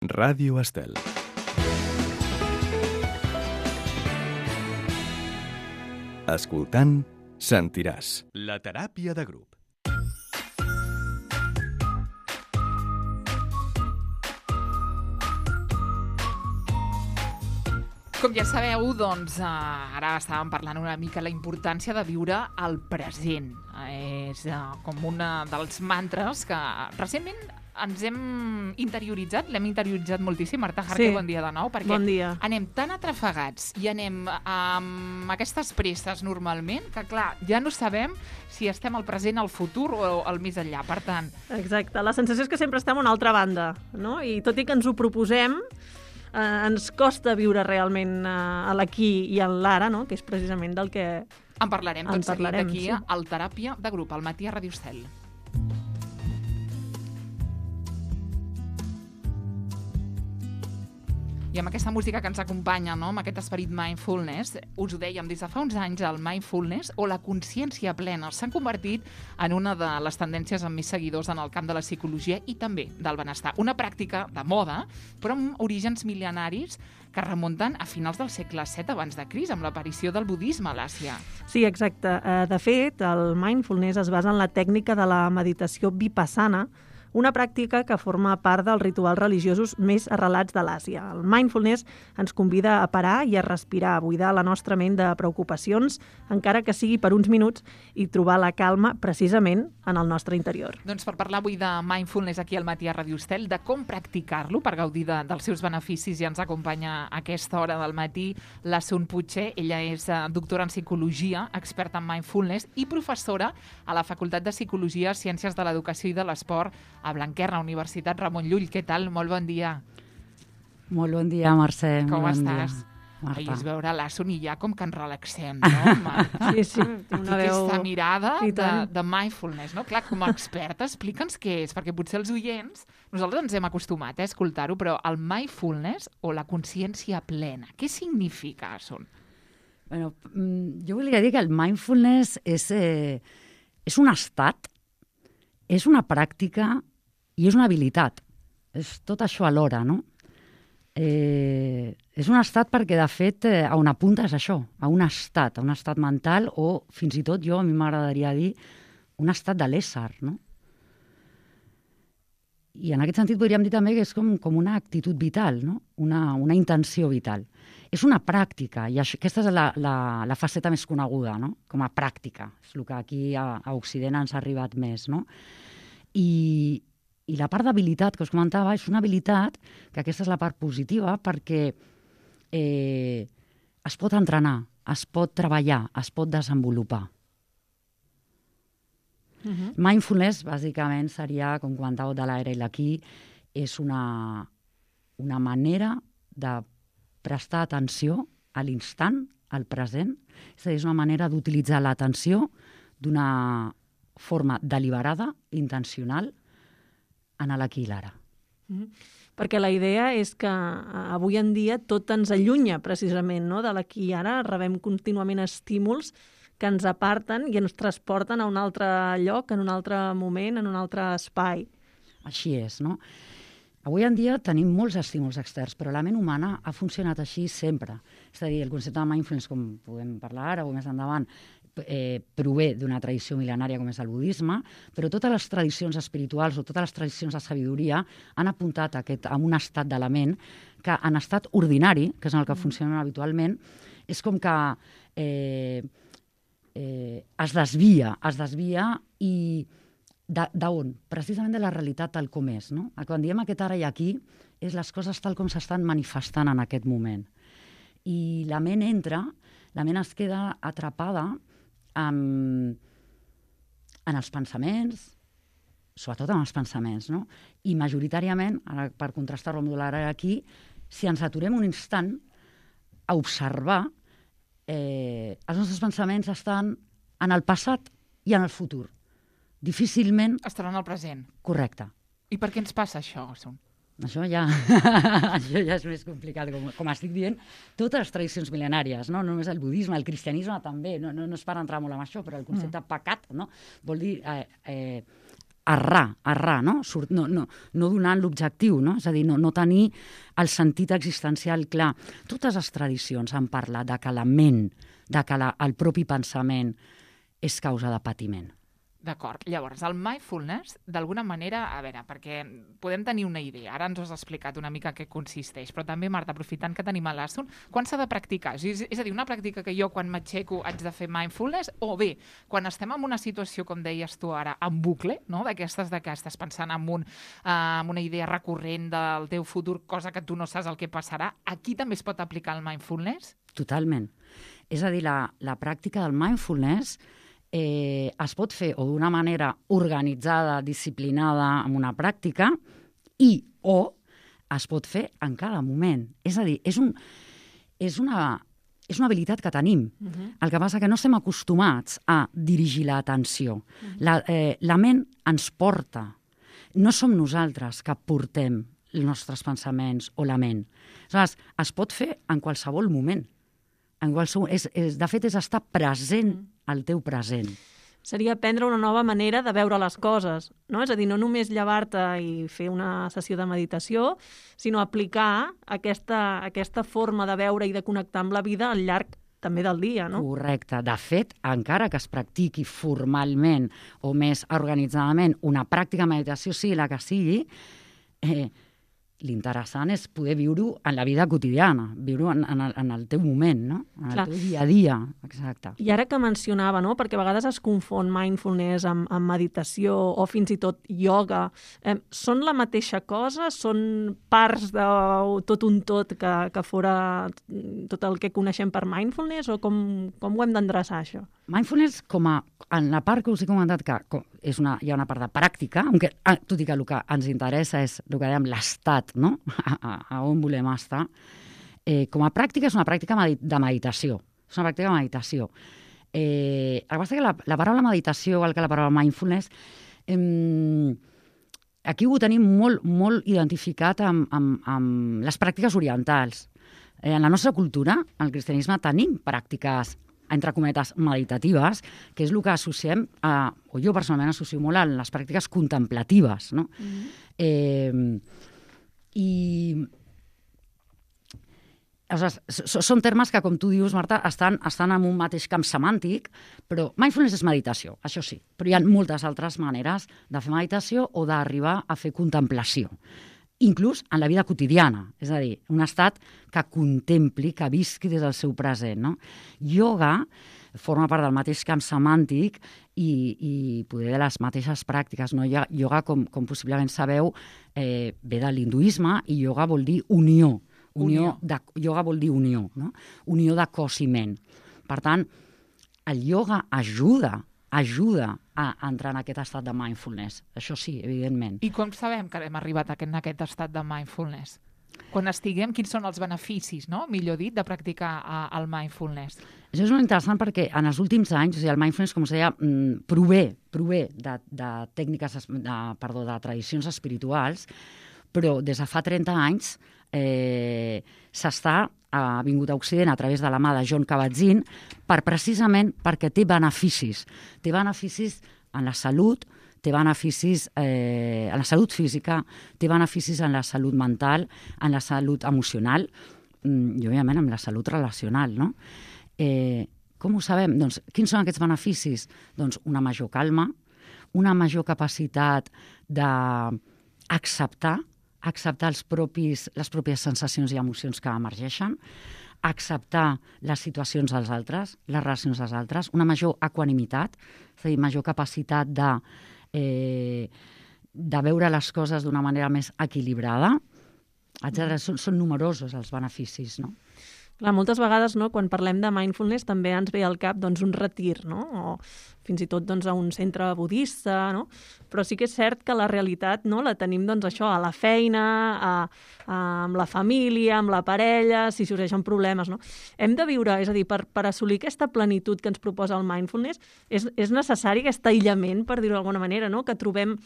Ràdio Estel. Escoltant, sentiràs la teràpia de grup. Com ja sabeu, doncs, ara estàvem parlant una mica de la importància de viure el present. És com un dels mantres que recentment ens hem interioritzat, l'hem interioritzat moltíssim. Marta Jarque, Sí. Bon dia de nou, perquè Bon dia. anem tan atrafegats i anem amb aquestes presses normalment que, clar, ja no sabem si estem al present, al futur o al més enllà. Per tant, Exacte. La sensació és que sempre estem a una altra banda, no? I tot i que ens ho proposem, ens costa viure realment a l'aquí i a l'ara, no? Que és precisament del que... en parlarem tot seguit aquí sí. al Teràpia de Grup, al matí a Ràdio Estel. I amb aquesta música que ens acompanya, no? Amb aquest esperit mindfulness, us ho dèiem, des de fa uns anys el mindfulness o la consciència plena s'han convertit en una de les tendències amb més seguidors en el camp de la psicologia i també del benestar. Una pràctica de moda, però amb orígens mil·lenaris que remunten a finals del segle VII abans de Crist, amb l'aparició del budisme a l'Àsia. Sí, exacte. De fet, el mindfulness es basa en la tècnica de la meditació vipassana, una pràctica que forma part dels rituals religiosos més arrelats de l'Àsia. El mindfulness ens convida a parar i a respirar, a buidar la nostra ment de preocupacions, encara que sigui per uns minuts, i trobar la calma precisament en el nostre interior. Doncs per parlar avui de mindfulness aquí al matí a Ràdio Estel, de com practicar-lo per gaudir dels seus beneficis, ja ens acompanya a aquesta hora del matí la Sun Puche. Ella és doctora en psicologia, experta en mindfulness i professora a la Facultat de Psicologia, Ciències de l'Educació i de l'Esport a Blanquerna, Universitat Ramon Llull. Què tal? Molt bon dia. Molt bon dia, Mercè. Com Molt bon estàs? dia, Marta. Ahir és veure la Sun i ja com que ens relaxem, no, Marta? Sí, sí, té una veu... Aquesta mirada I tant. de mindfulness, no? Clar, com a experta, explica'ns què és, perquè potser els oients, nosaltres ens hem acostumat a escoltar-ho, però el mindfulness o la consciència plena, què significa, Sun? Bueno, jo volia dir que el mindfulness és un estat, és una pràctica i és una habilitat. És tot això alhora, no? És un estat perquè, de fet, a on apunta és això, a un estat mental o, fins i tot, a mi m'agradaria dir, un estat de l'ésser, no? I en aquest sentit podríem dir també que és com una actitud vital, no? Una intenció vital. És una pràctica, i aquesta és la faceta més coneguda, no? Com a pràctica. És el que aquí a Occident ens ha arribat més, no? I la part d'habilitat que us comentava és una habilitat, que aquesta és la part positiva, perquè es pot entrenar, es pot treballar, es pot desenvolupar. Mindfulness, bàsicament, seria, com comentàveu, de l'aire i l'aquí, és una manera de prestar atenció a l'instant, al present, és a dir, és una manera d'utilitzar l'atenció d'una forma deliberada, intencional, en l'aquí i l'ara. Perquè la idea és que avui en dia tot ens allunya precisament, no? De l'aquí i ara rebem contínuament estímuls que ens aparten i ens transporten a un altre lloc, en un altre moment, en un altre espai. Així és, no? Avui en dia tenim molts estímuls externs, però la ment humana ha funcionat així sempre. És a dir, el concepte de mindfulness, com podem parlar ara o més endavant, prové d'una tradició mil·lenària com és el budisme, però totes les tradicions espirituals o totes les tradicions de sabidoria han apuntat a un estat de la ment que en estat ordinari, que és en el que funcionen habitualment, és com que es desvia i d'on? Precisament de la realitat tal com és, no? Quan diem aquest ara i aquí, és les coses tal com s'estan manifestant en aquest moment. I la ment es queda atrapada en els pensaments, sobretot en els pensaments, no? I majoritàriament, ara per contrastar-ho amb l'ara aquí, si ens aturem un instant a observar, els nostres pensaments estan en el passat i en el futur. Difícilment... Estaran al present. Correcte. I per què ens passa això, Sun? Això ja és més complicat, com estic dient, totes les tradicions mil·lenàries, no només el budisme, el cristianisme també, no és per entrar molt en això, però el concepte pecat, no? Vol dir errar, no? No donant l'objectiu, no? És a dir, no tenir el sentit existencial clar. Totes les tradicions han parlat de que la ment, de que el propi pensament és causa de patiment. D'acord. Llavors, el mindfulness, d'alguna manera, a veure, perquè podem tenir una idea, ara ens ho has explicat una mica què consisteix, però també, Marta, aprofitant que tenim a l'Aston, quan s'ha de practicar? És a dir, una pràctica que jo quan m'aixeco haig de fer mindfulness, o bé, quan estem en una situació, com deies tu ara, en bucle, no? D'aquestes de que estàs pensant en una idea recurrent del teu futur, cosa que tu no saps el que passarà, aquí també es pot aplicar el mindfulness? Totalment. És a dir, la pràctica del mindfulness es pot fer o d'una manera organitzada, disciplinada, amb una pràctica, o es pot fer en cada moment. És a dir, és una habilitat que tenim. El que passa que no estem acostumats a dirigir l'atenció. La ment ens porta. No som nosaltres que portem els nostres pensaments o la ment. Aleshores, es pot fer en qualsevol moment. De fet, és estar present al teu present. Seria aprendre una nova manera de veure les coses, no? És a dir, no només llevar-te i fer una sessió de meditació, sinó aplicar aquesta forma de veure i de connectar amb la vida al llarg també del dia, no? Correcte. De fet, encara que es practiqui formalment o més organitzadament una pràctica de meditació, sigui la que sigui, l'interessant és poder viure-ho en la vida quotidiana, viure-ho en el teu moment, no? En el teu dia a dia, exacte. I ara que mencionava, no? Perquè a vegades es confon mindfulness amb meditació o fins i tot ioga. Són la mateixa cosa? Són parts de tot un tot que fora tot el que coneixem per mindfulness? O com ho hem d'endreçar, això? Mindfulness, en la part que us he comentat, que hi ha una part de pràctica, tot i que el que ens interessa és el que dèiem l'estat, no? A on volem estar. Com a pràctica és una pràctica de meditació. És una pràctica de meditació. El que passa que la paraula meditació, igual que la paraula mindfulness, aquí ho tenim molt, molt identificat amb les pràctiques orientals. En la nostra cultura, al cristianisme, tenim pràctiques entre cometes meditatives, que és el que associem o jo personalment associo molt a les pràctiques contemplatives, no? Són termes que, com tu dius, Marta, estan en un mateix camp semàntic, però mindfulness és meditació, això sí, però hi ha moltes altres maneres de fer meditació o d'arribar a fer contemplació, inclús en la vida quotidiana, és a dir, un estat que contempli, que visqui des del seu present, no? Yoga forma part del mateix camp semàntic i poder de les mateixes pràctiques, no? Yoga, com possiblement sabeu, ve de l'hinduisme i yoga vol dir unió. Yoga vol dir unió, no? Unió de cos i ment. Per tant, el yoga ajuda a entrar en aquest estat de mindfulness. Això sí, evidentment. I com sabem que hem arribat en aquest estat de mindfulness? Quan estiguem, quins són els beneficis, no? Millor dit, de practicar el mindfulness? Això és molt interessant perquè en els últims anys, el mindfulness, com us deia, prové de tècniques, de tradicions espirituals, però des de fa 30 anys ha vingut a Occident a través de la mà de Jon Kabat-Zinn precisament perquè té beneficis. Té beneficis en la salut, té beneficis en la salut física, té beneficis en la salut mental, en la salut emocional i, òbviament, en la salut relacional, no? Com ho sabem? Doncs, quins són aquests beneficis? Doncs una major calma, una major capacitat d'acceptar les pròpies sensacions i emocions que emergeixen, acceptar les situacions dels altres, les relacions dels altres, una major equanimitat, és a dir, major capacitat de veure les coses d'una manera més equilibrada, etc. Són numerosos els beneficis, no? Clar, moltes vegades, no, quan parlem de mindfulness també ens ve al cap doncs, un retir, no? O fins i tot doncs, a un centre budista, no? Però sí que és cert que la realitat, no, la tenim doncs, això, a la feina, amb la família, amb la parella, si sorgeixen problemes, no? Hem de viure, és a dir, per assolir aquesta plenitud que ens proposa el mindfulness, és necessari aquest aïllament, per dir-ho d'alguna manera, no? Que trobem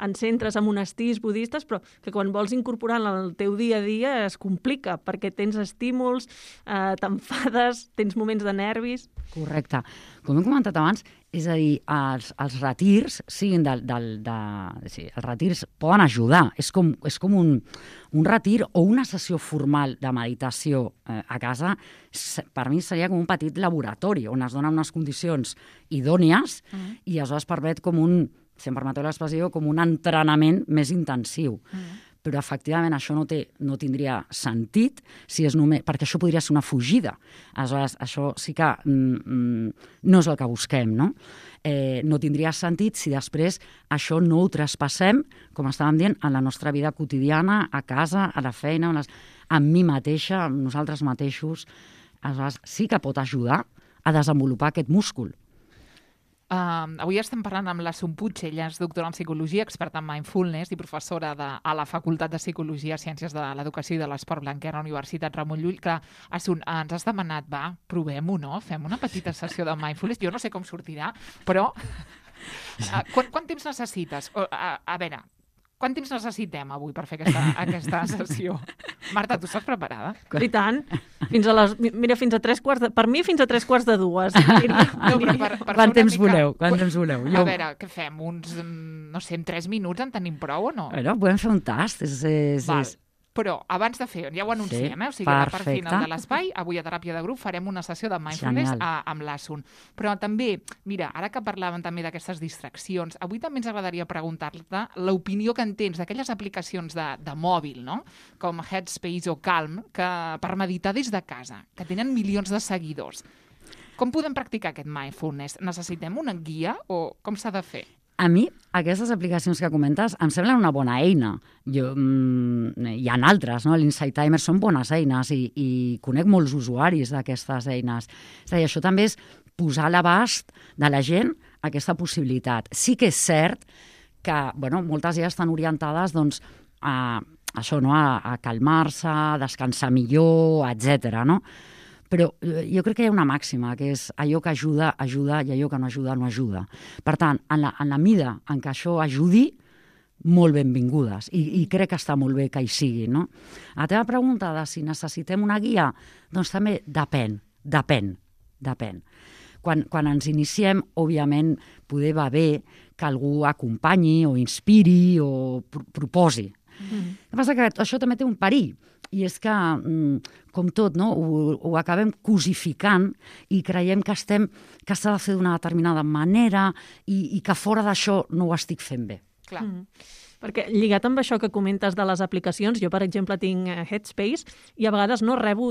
en centres, en monestirs budistes, però que quan vols incorporar en el teu dia a dia es complica, perquè tens estímuls, t'enfades, tens moments de nervis. Correcte. Com hem comentat abans, és a dir, els retirs siguin els retirs poden ajudar. És com un retir o una sessió formal de meditació a casa, per mi seria com un petit laboratori on es donen unes condicions idònies i aleshores permet com si em permeteu l'expressió, com un entrenament més intensiu. Però efectivament això no tindria sentit si és només, perquè això podria ser una fugida. Aleshores, això sí que no és el que busquem, no? No tindria sentit si després això no ho traspassem, com estàvem dient, en la nostra vida quotidiana, a casa, a la feina, amb mi mateixa, amb nosaltres mateixos. Aleshores, sí que pot ajudar a desenvolupar aquest múscul. Avui estem parlant amb la Puig, ella és doctora en Psicologia, experta en Mindfulness i professora a la Facultat de Psicologia, Ciències de l'Educació i de l'Esport Blanquer a la Universitat Ramon Llull. Clar, ens has demanat, provem-ho, no? Fem una petita sessió de Mindfulness. Jo no sé com sortirà, però quant temps necessites? A veure, quant temps necessitem avui per fer aquesta sessió? Marta, tu estàs preparada? I tant. Fins a 3 quarts de... Per mi, fins a 3:45. Quant temps voleu? A veure, què fem? No sé, en 3 minuts en tenim prou o no? Bueno, podem fer un tast. Val. Però abans de fer, ja ho anunciem, o sigui, la part final de l'espai, avui a Teràpia de Grup farem una sessió de Mindfulness amb l'Asun. Però també, mira, ara que parlàvem també d'aquestes distraccions, avui també ens agradaria preguntar-te l'opinió que en tens d'aquelles aplicacions de mòbil, no? Com Headspace o Calm, que per meditar des de casa, que tenen milions de seguidors. Com podem practicar aquest Mindfulness? Necessitem una guia o com s'ha de fer? A mi, aquestes aplicacions que comentes em semblen una bona eina. Hi ha altres, no? L'Insight Timer són bones eines i conec molts usuaris d'aquestes eines. És a dir, això també és posar a l'abast de la gent aquesta possibilitat. Sí que és cert que moltes ja estan orientades a això, no? A calmar-se, a descansar millor, etc. No? Però jo crec que hi ha una màxima, que és allò que ajuda, ajuda, i allò que no ajuda, no ajuda. Per tant, en la mida en què això ajudi, molt benvingudes. I crec que està molt bé que hi sigui, no? A la teva pregunta de si necessitem una guia, doncs també depèn. Quan ens iniciem, òbviament, poder va bé que algú acompanyi o inspiri o proposi. El que passa que això també té un perill, i és que, com tot, no? Ho acabem cosificant i creiem que s'ha de fer d'una determinada manera i que fora d'això no ho estic fent bé. Clar. Perquè lligat amb això que comentes de les aplicacions, jo, per exemple, tinc Headspace i a vegades no rebo,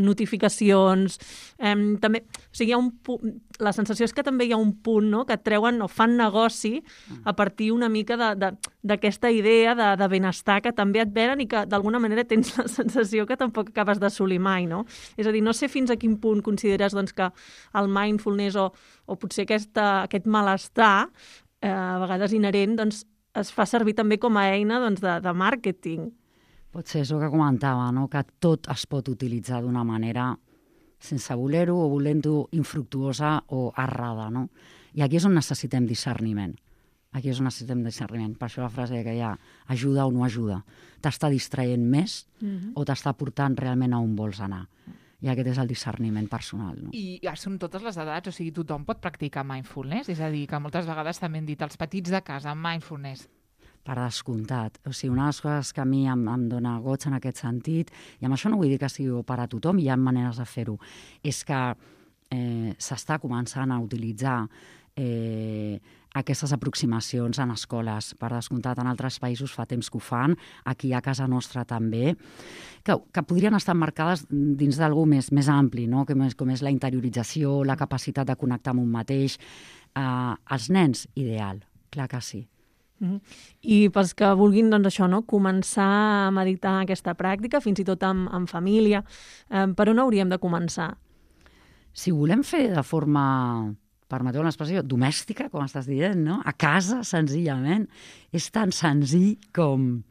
notificacions. També, o sigui, la sensació és que també hi ha un punt, no?, que treuen o fan negoci a partir una mica d'aquesta idea de benestar que també et venen i que d'alguna manera tens la sensació que tampoc acabes d'assolir mai, no? És a dir, no sé fins a quin punt consideres que el mindfulness o potser aquest malestar, a vegades inherent, es fa servir també com a eina de màrqueting. Pot ser això que comentava, no? Que tot es pot utilitzar d'una manera sense voler-ho o volent-ho infructuosa o errada, no? I aquí és on necessitem discerniment. Per això la frase que hi ha, ajuda o no ajuda. T'està distraient més o t'està portant realment a on vols anar? I aquest és el discerniment personal. No? I són totes les edats, o sigui, tothom pot practicar mindfulness? És a dir, que moltes vegades també hem dit els petits de casa, mindfulness. Per descomptat. O sigui, una de les coses que a mi em dona goig en aquest sentit, i amb això no vull dir que sigui per a tothom, hi ha maneres de fer-ho, és que s'està començant a utilitzar aquestes aproximacions en escoles. Per descomptat, en altres països fa temps que ho fan, aquí a casa nostra també, que podrien estar marcades dins d'algú més ampli, no? Com és la interiorització, la capacitat de connectar amb un mateix. Els nens, ideal, clar que sí. I pels que vulguin començar a meditar aquesta pràctica, fins i tot en família, per on hauríem de començar? Si volem fer de forma, permeteu l'expressió, domèstica, com estàs dient, no? A casa, senzillament, és tan senzill com...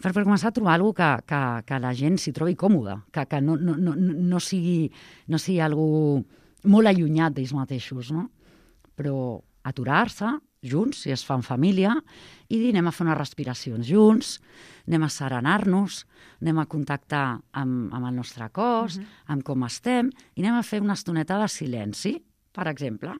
Per començar a trobar alguna cosa que la gent s'hi trobi còmoda, que no sigui algú molt allunyat d'ells mateixos, no? Però aturar-se junts, si es fa en família, i dir anem a fer unes respiracions junts, anem a serenar-nos, anem a contactar amb el nostre cos, amb com estem, i anem a fer una estoneta de silenci, per exemple.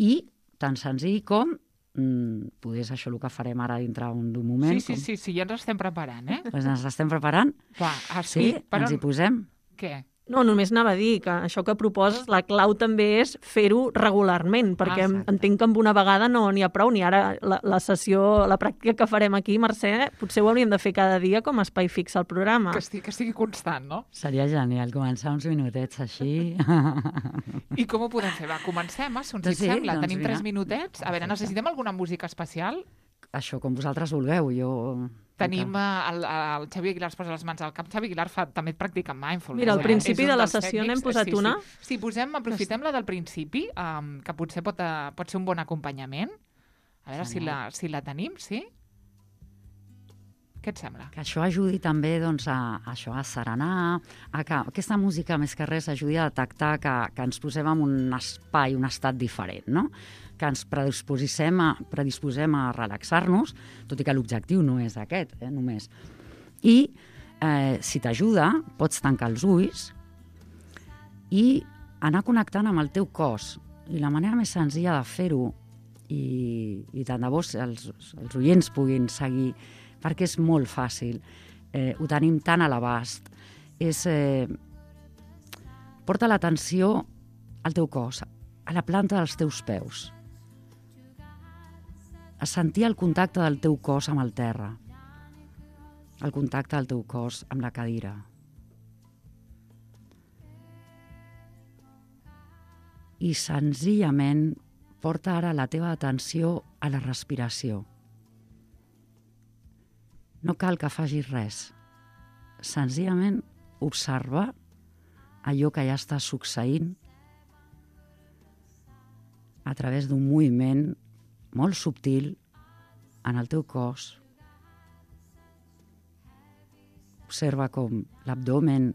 I tan senzill com poder és això el que farem ara dintre d'un moment. Sí, ja ens estem preparant, eh? Doncs ens estem preparant. Va, sí, ens hi posem. Què? No, només anava a dir que això que proposes, la clau també és fer-ho regularment, perquè entenc que amb una vegada no n'hi ha prou, ni ara la sessió, la pràctica que farem aquí, Mercè, potser ho hauríem de fer cada dia com a espai fix al programa. Que estigui constant, no? Seria genial començar uns minutets així. I com ho podem fer? Va, comencem, si et sembla. Tenim 3 minutets. A veure, necessitem alguna música especial? Això, com vosaltres vulgueu, jo... Tenim el Xavi Aguilar es posa les mans al cap. Xavi Aguilar també practica mindfulness. Mira, al principi de la sessió n'hem posat una. Sí, aprofitem la del principi, que potser pot ser un bon acompanyament. A veure si la tenim, sí? Què et sembla? Que això ajudi també doncs, a serenar, que aquesta música, més que res, ajudi a detectar que ens posem en un espai, un estat diferent, no? Que ens predisposem a relaxar-nos, tot i que l'objectiu no és aquest, només. I si t'ajuda, pots tancar els ulls i anar connectant amb el teu cos. I la manera més senzilla de fer-ho, i tant de bo els oients puguin seguir, perquè és molt fàcil, ho tenim tan a l'abast, és porta l'atenció al teu cos, a la planta dels teus peus, a sentir el contacte del teu cos amb el terra, el contacte del teu cos amb la cadira. I senzillament porta ara la teva atenció a la respiració. No cal que facis res. Senzillament observa allò que ja està succeint a través d'un moviment molt subtil en el teu cos. Observa com l'abdomen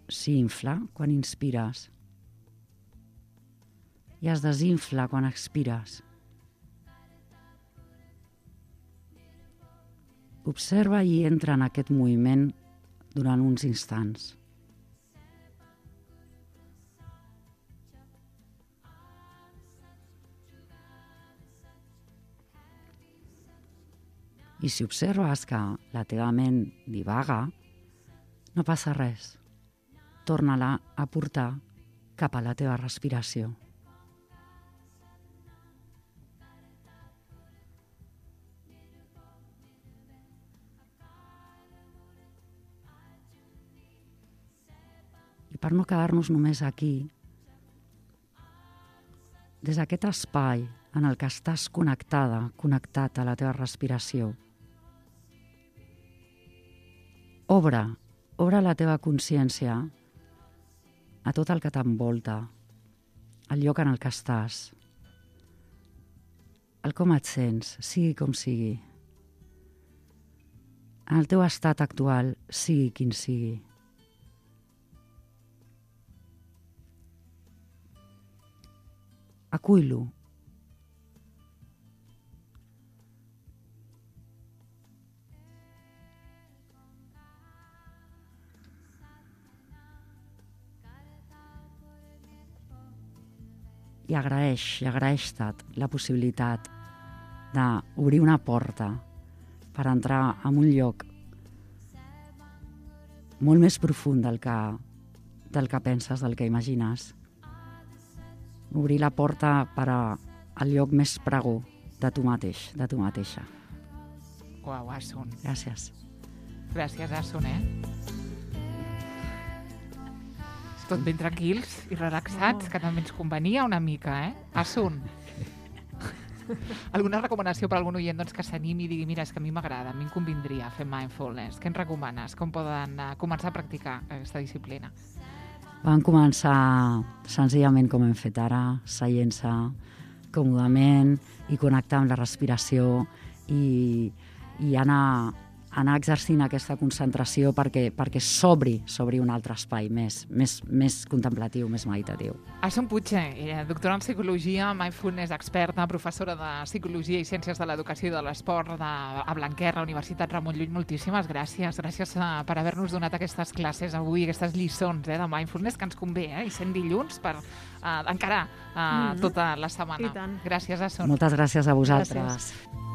s'infla quan inspires i es desinfla quan expires. Observa i entra en aquest moviment durant uns instants. I si observes que la teva ment divaga, no passa res. Torna-la a portar cap a la teva respiració. I per no quedar-nos només aquí, des d'aquest espai en el que estàs connectat a la teva respiració, obre la teva consciència a tot el que t'envolta, al lloc en el que estàs, el com et sents, sigui com sigui, en el teu estat actual, sigui quin sigui. Acull-lo. I agraeix-te la possibilitat d'obrir una porta per entrar en un lloc molt més profund del que penses, del que imagines. Obrir la porta per al lloc més pregó de tu mateix, de tu mateixa. Uau, Asun. Gràcies. Gràcies, Asun, Tot ben tranquils i relaxats, que també ens convenia una mica, Asun. Alguna recomanació per a algun oient que s'animi i digui, mira, és que a mi m'agrada, a mi em convindria fer mindfulness. Què ens recomanes? Com poden començar a practicar aquesta disciplina? Van començar senzillament com hem fet ara, seient-se còmodament i connectar amb la respiració i anar anar exercint aquesta concentració perquè s'obri un altre espai més contemplatiu, més meditatiu. Assumpta Puig, doctora en Psicologia, Mindfulness, experta, professora de Psicologia i Ciències de l'Educació i de l'Esport a Blanquer, a la Universitat Ramon Llull, moltíssimes gràcies. Gràcies per haver-nos donat aquestes classes avui, aquestes lliçons de Mindfulness, que ens convé, i sent dilluns per encarar tota la setmana. I tant. Gràcies, Assumpta. Moltes gràcies a vosaltres. Gràcies.